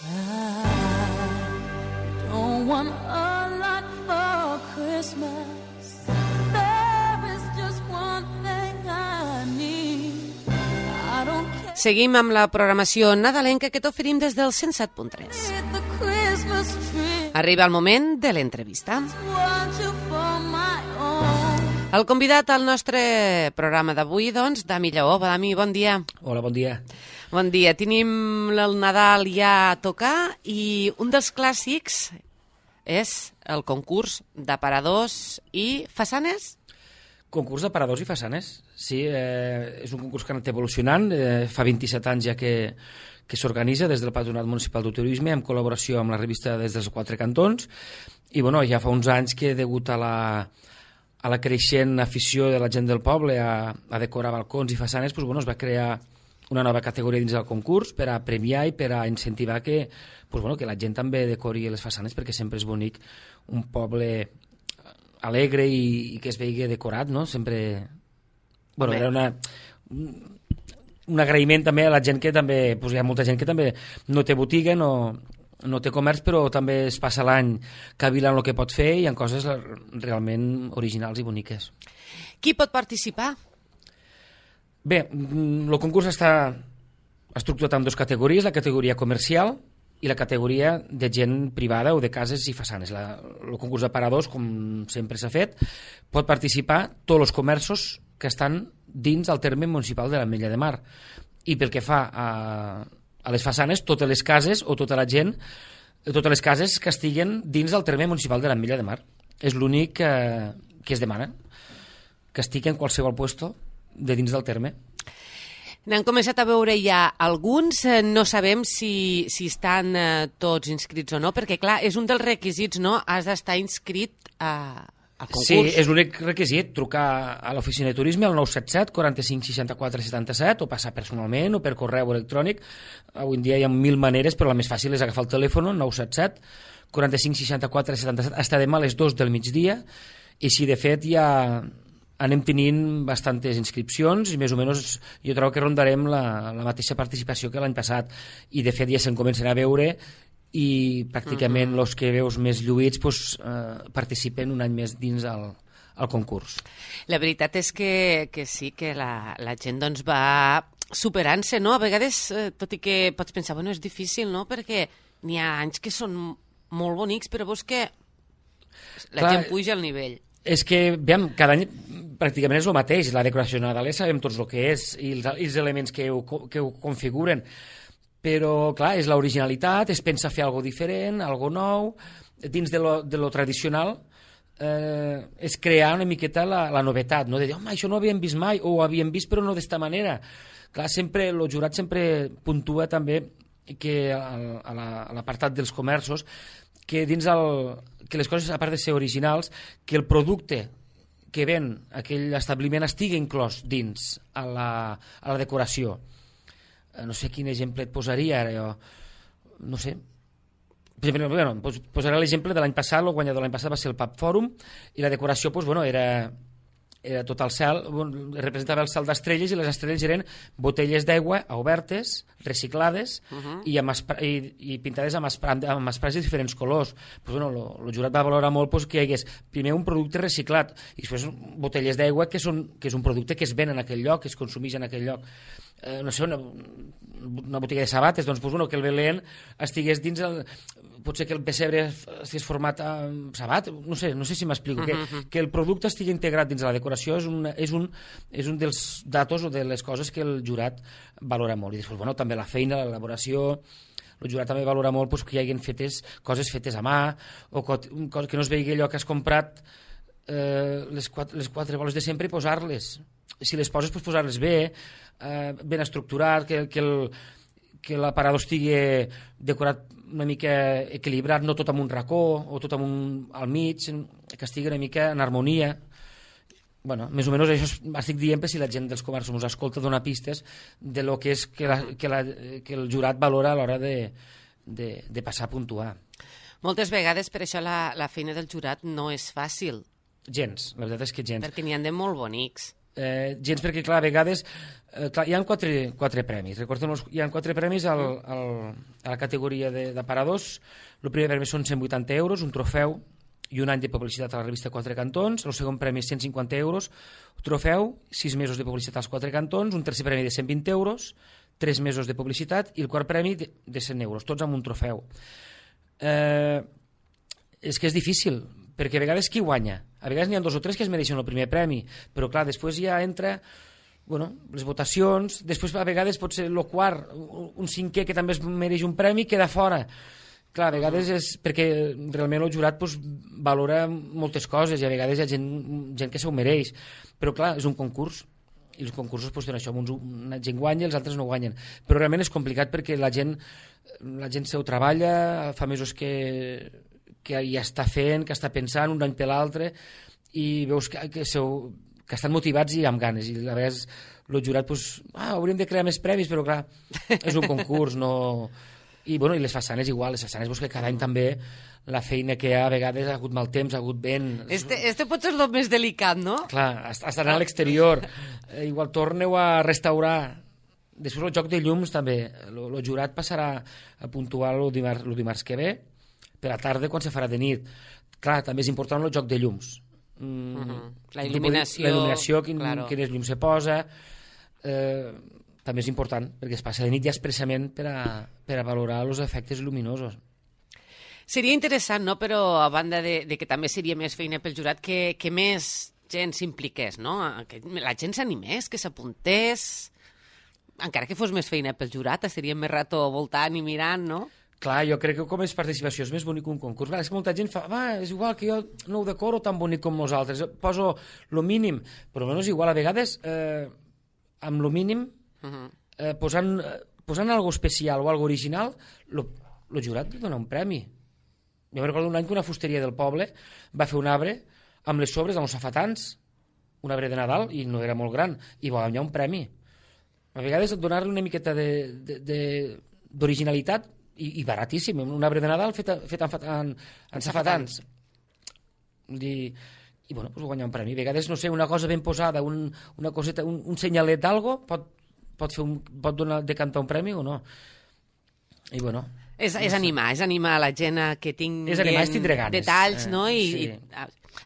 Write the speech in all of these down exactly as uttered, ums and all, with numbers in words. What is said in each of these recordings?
I don't want a lot for Christmas. There is just one thing I need. I don't care. Seguim amb la programació nadalenca que t'oferim des del cent set punt tres. The Christmas tree. Arriba el moment de l'entrevista. Want you for my own. El convidat al nostre programa d'avui, doncs, Dami Lleó. Dami, bon dia. Hola, bon dia. Bon dia. Tenim el Nadal ja a tocar i un dels clàssics és el concurs d'aparadors i façanes. Concurs d'aparadors i façanes. Sí, eh, és un concurs que ha anat evolucionant. Eh, fa vint-i-set anys ja que, que s'organitza des del Patronat Municipal de Turisme en col·laboració amb la revista Des dels Quatre Cantons. I bueno, ja fa uns anys que, degut a la, a la creixent afició de la gent del poble a, a decorar balcons i façanes, doncs, bueno, es va crear una nova categoria dins del concurs per a premiar i per a incentivar que, doncs, bueno, que la gent també decori les façanes, perquè sempre és bonic un poble alegre i, i que es vegi decorat, no? Sempre... Bueno, era una, un agraïment també a la gent que també... Doncs hi ha molta gent que també no té botiga, no, no té comerç, però també es passa l'any cavilant el que pot fer i hi ha coses realment originals i boniques. Qui pot participar? Bé, el concurs està estructurat en dues categories, la categoria comercial i la categoria de gent privada o de cases i façanes. La, el concurs d'aparadors, com sempre s'ha fet, pot participar tots els comerços que estan dins el terme municipal de l'Ametlla de Mar. I pel que fa a, a les façanes, totes les cases o tota la gent, totes les cases que estiguen dins del terme municipal de l'Ametlla de Mar. És l'únic que, que es demana, que estigui en qualsevol puesto de dins del terme. N'han començat a veure ja alguns, eh, no sabem si, si estan eh, tots inscrits o no, perquè clar, és un dels requisits, no? Has d'estar inscrit a, al concurs. Sí, és l'únic requisit, trucar a l'oficina de turisme al nou set set, quaranta-cinc, seixanta-quatre, setanta-set, o passar personalment o per correu electrònic. Avui en dia hi ha mil maneres, però la més fàcil és agafar el telèfon, nou set set, quaranta-cinc, seixanta-quatre, setanta-set, hasta demà a les dos del migdia, i si de fet ja anem tenint bastantes inscripcions i més o menys jo trobo que rondarem la, la mateixa participació que l'any passat, i de fet ja se'n comencen a veure i pràcticament els uh-huh. que veus més lluïts pues, eh, participen un any més dins el, el concurs. La veritat és que, que sí, que la, la gent doncs, va superant-se, no? A vegades, eh, tot i que pots pensar, bueno, és difícil, no? Perquè n'hi ha anys que són molt bonics, però veus que la Clar, gent puja al nivell. És que, veiem, cada any pràcticament és el mateix, la decoració nadalera sabem tots el que és i els, els elements que ho, que ho configuren, però clar, és l'originalitat, es pensa fer alguna diferent, alguna nou, dins de lo, de lo tradicional eh, és crear una miqueta la, la novetat, no? De dir, home, això no ho havíem vist mai, o ho havíem vist però no d'esta manera. Clar, sempre, el jurat sempre puntua també que a l'apartat dels comerços, que dins el, que les coses, a part de ser originals, que el producte que ven aquell establiment estigui inclòs dins a la, a la decoració. No sé quin exemple et posaria ara, jo. No sé. Per exemple, bueno, posaré l'exemple de l'any passat, el guanyador de l'any passat va ser el Pub Fòrum, i la decoració pues, bueno, era, era tot el cel, representava el cel d'estrelles, i les estrelles eren botelles d'aigua obertes, reciclades, uh-huh. i, amb i, i pintades amb, amb esprats de diferents colors. Pues, bueno, el jurat va valorar molt pues, que hi hagués primer un producte reciclat i després botelles d'aigua que, són, que és un producte que es ven en aquell lloc, que es consumeix en aquell lloc. Eh, no sé, una, una botiga de sabates, doncs, pues, bueno, que el Belén estigués dins el... Potser que el pessebre estigués format amb sabat, no sé, no sé si m'explico, uh-huh. que, que el producte estigui integrat dins la decoració és un, és, un, és un dels datos o de les coses que el jurat valora molt. I després, bueno, també la feina, l'elaboració, el jurat també valora molt pues, que hi hagin fetes, coses fetes a mà, o que, que no es vegi allò que has comprat eh, les, quatre, les quatre boles de sempre i posar-les. Si les poses, pues, posar-les bé, eh, ben estructurat, que, que el que l'aparador estigui decorat una mica equilibrat, no tot amb un racó o tot amb un al mig, que estigui una mica en harmonia. Bueno, més o menys això estic dient per si la gent dels comerços ens escolta donar pistes de lo que és que, la, que, la, que el jurat valora a l'hora de, de, de passar a puntuar. Moltes vegades per això la, la feina del jurat no és fàcil. Gens, la veritat és que gens. Perquè n'hi ha de molt bonics. Eh, gens perquè, clar, a vegades eh, clar, hi ha quatre, quatre premis. Recordem, hi ha quatre premis al, al, a la categoria d'aparadors. El primer premi són cent vuitanta euros, un trofeu i un any de publicitat a la revista Quatre Cantons. El segon premi és cent cinquanta euros, un trofeu, sis mesos de publicitat als Quatre Cantons, un tercer premi de cent vint euros, tres mesos de publicitat i el quart premi de, de cent euros, tots amb un trofeu. Eh, és que és difícil, perquè a vegades qui guanya? A vegades n'hi ha dos o tres que es mereixen el primer premi, però clar, després ja entra bueno, les votacions, després a vegades pot ser el quart, un cinquè que també es mereix un premi, queda fora. Clar, a vegades és perquè realment el jurat pues, valora moltes coses i a vegades hi ha gent, gent que s'ho mereix, però clar, és un concurs i els concursos pues, això, uns, una gent guanya i els altres no guanyen, però realment és complicat perquè la gent la gent s'ho treballa, fa mesos que, que ja està fent, que està pensant un any per l'altre i veus que, que, seu, que estan motivats i amb ganes i a vegades el jurat pues, ah, hauríem de crear més premis, però clar, és un concurs, no... I, bueno, i les façanes igual, les façanes pues, que cada any també la feina que hi ha a vegades ha hagut mal temps, ha hagut vent... Este, este pot ser el més delicat, no? Clar, estan a l'exterior, eh, igual torneu a restaurar. Després el joc de llums també, el jurat passarà a puntuar el dimarts, el dimarts que ve, per la tarda quan se farà de nit. Clar, també és important el joc de llums. Mm, uh-huh. La il·luminació... La il·luminació, quin, claro. quines llums se posa... Eh, també és important, perquè es passa de nit ja expressament per a, per a valorar els efectes lluminosos. Seria interessant, no?, però a banda de, de que també seria més feina pel jurat, que, que més gent s'impliqués, no?, que la gent s'animés, que s'apuntés, encara que fos més feina pel jurat, estaríem més rato voltant i mirant, no? Clar, jo crec que com és participació és més bonic un concurs. Clar, és que molta gent fa, va, és igual que jo no ho decoro tan bonic com nosaltres, poso lo mínim, però almenys igual a vegades eh, amb lo mínim Uh-huh. eh, posant, eh, posant algo especial o algo original, el jurat li dona un premi. Jo me recordo un any que una fusteria del poble va fer un arbre amb les sobres, amb els safatans, un arbre de Nadal, i no era molt gran, i va guanyar un premi. A vegades donar-li una miqueta d'originalitat i, i baratíssim, un arbre de Nadal fet, fet en, en, en safatans. I, i bueno, pues guanyar un premi. A vegades, no sé, una cosa ben posada, un, una coseta, un, un senyalet d'algo, pot pot, fer un, pot donar, decantar un premi o no. I bueno... És, és animar, és animar la gent a que tinguin és animar, és tindre ganes. Detalls, no? I, sí. i,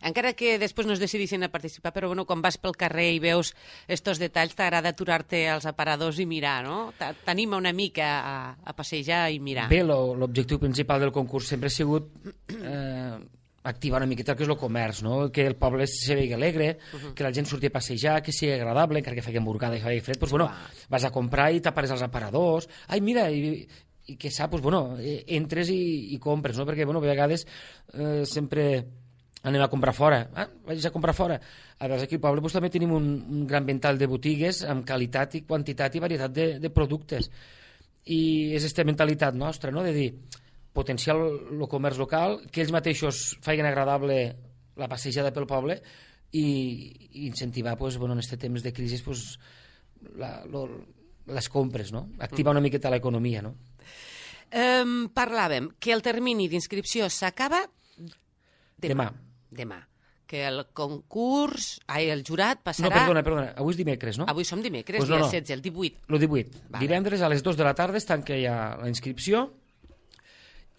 encara que després no es decidissin a participar, però bueno, quan vas pel carrer i veus estos detalls, t'agrada aturar-te als aparadors i mirar, no? T'anima una mica a, a passejar i mirar. Bé, l'objectiu principal del concurs sempre ha sigut... Eh, activar una miqueta el que és el comerç, no? Que el poble se vegi alegre, uh-huh. que la gent surti a passejar, que sigui agradable, encara que faci emborcada i faci fred, doncs, bueno, vas a comprar i t'apares als aparadors, ai, mira, i, i que sap, doncs, bueno, entres i, i compres, no? Perquè, bueno, a vegades eh, sempre anem a comprar fora, ah, vaig a comprar fora. A vegades aquí al poble doncs, també tenim un, un gran ventall de botigues amb qualitat i quantitat i varietat de, de productes. I és aquesta mentalitat nostra, no?, de dir potenciar el comerç local, que ells mateixos facin agradable la passejada pel poble i, i incentivar, pues, bueno, en aquest temps de crisi, pues, la, lo, les compres, no? Activar una miqueta l'economia, no? Um, parlàvem que el termini d'inscripció s'acaba demà. demà. Demà. Que el concurs, ai, el jurat passarà... No, perdona, perdona, avui és dimecres, no? Avui som dimecres, pues no, dia no. setze, el divuit. El divuit. Vale. Divendres a les dues de la tarda es tanca ja la inscripció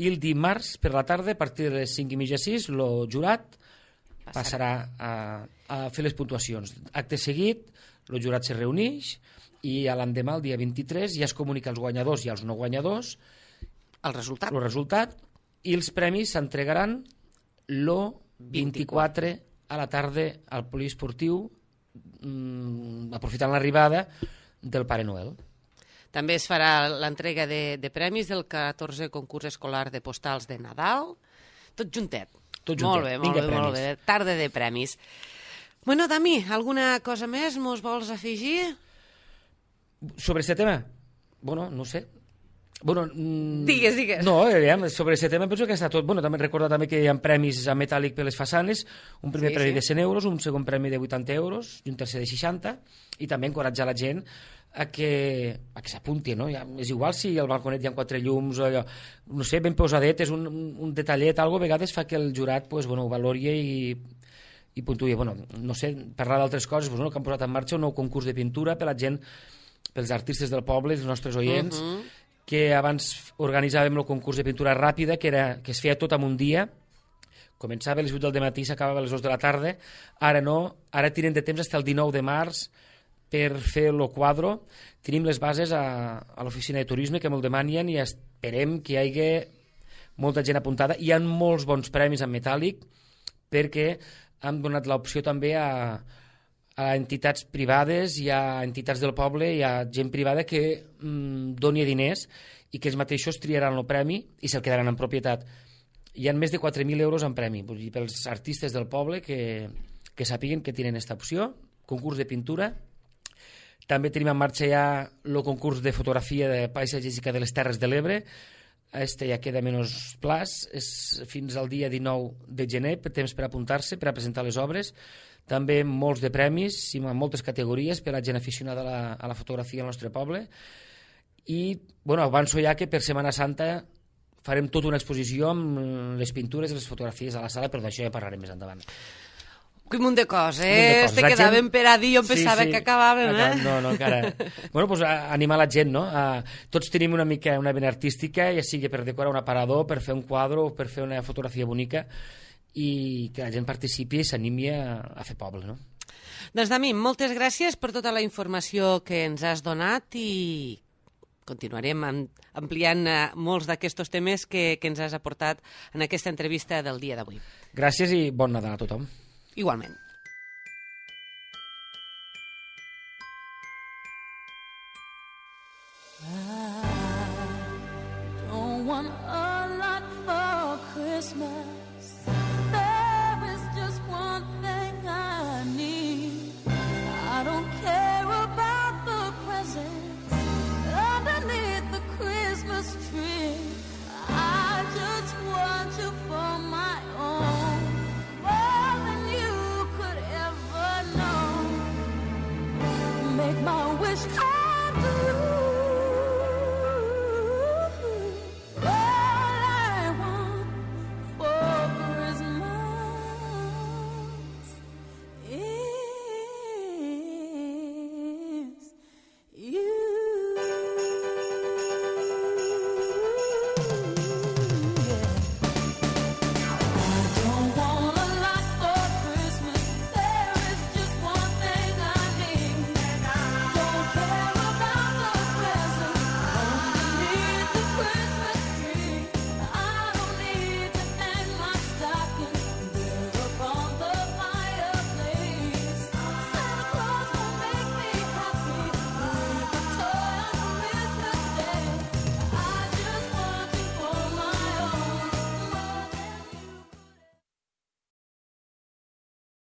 i el dimarts per la tarda, a partir de les cinc i mitja sis, el jurat passarà, passarà a, a fer les puntuacions. Acte seguit, el jurat se reuneix i a l'endemà, el dia vint-i-tres, ja es comunica als guanyadors i als no guanyadors el resultat. El resultat i els premis s'entregaran el vint-i-quatre a la tarda al poliesportiu, mmm, aprofitant l'arribada del Pare Noel. També es farà l'entrega de, de premis del catorzè concurs escolar de postals de Nadal. Tot juntet. Tot juntet. Molt bé, molt bé, molt bé. Tarda de premis. Bueno, Dami, alguna cosa més mos vols afegir? Sobre aquest tema? Bueno, no sé. Bueno, mm, digues, digues. No, eh, sobre aquest tema penso que està tot. Bueno, també recordar també que hi ha premis a metàl·lic per les façanes, un primer sí, premi sí. de cent euros, un segon premi de vuitanta euros i un tercer de seixanta, i també encoratjar la gent a que, a que s'apunti, no? Ja, és igual si al balconet hi ha quatre llums, o allò, no sé, ben posadet, és un, un detallet, algo, a vegades fa que el jurat pues, bueno, ho valori i, i puntuï, bueno, no sé, parlar d'altres coses, doncs, no, que han posat en marxa un nou concurs de pintura per la gent, pels artistes del poble, els nostres oients, uh -huh. que abans organitzàvem el concurs de pintura ràpida, que, era, que es feia tot en un dia, començava a les vuit del matí i s'acabava a les dues de la tarda, ara no, ara tenen de temps fins al dinou de març per fer el quadro, tenim les bases a, a l'oficina de turisme que me'l demanen i esperem que hi hagi molta gent apuntada. Hi ha molts bons premis en metàl·lic perquè han donat l'opció també a, a entitats privades i a entitats del poble i a gent privada que mm, doni diners i que ells mateixos triaran el premi i se'l quedaran en propietat. Hi ha més de quatre mil euros en premi, vull dir, pels artistes del poble que, que sàpiguen que tenen aquesta opció, concurs de pintura. També tenim en marxa ja el concurs de fotografia de paisatgística de les Terres de l'Ebre. Este ja queda menys plaç, és fins al dia dinou de gener, temps per apuntar-se, per a presentar les obres. També molts de premis, i en moltes categories per a gent aficionada a la, a la fotografia al nostre poble. I, bueno, avanço ja que per Setmana Santa farem tota una exposició amb les pintures i les fotografies a la sala, però d'això ja parlarem més endavant. Quin munt de coses, eh? Este quedàvem per a dir, jo pensava sí, sí. que acabàvem, eh? No, no, encara. Bueno, doncs animar la gent, no? Uh, tots tenim una mica una vena artística, ja sigui per decorar un aparador, per fer un quadre o per fer una fotografia bonica, i que la gent participi i s'animi a, a fer poble, no? Doncs, Dami, moltes gràcies per tota la informació que ens has donat i continuarem ampliant molts d'aquests temes que, que ens has aportat en aquesta entrevista del dia d'avui. Gràcies i bon Nadal a tothom. Igualment. I don't want a lot for Christmas.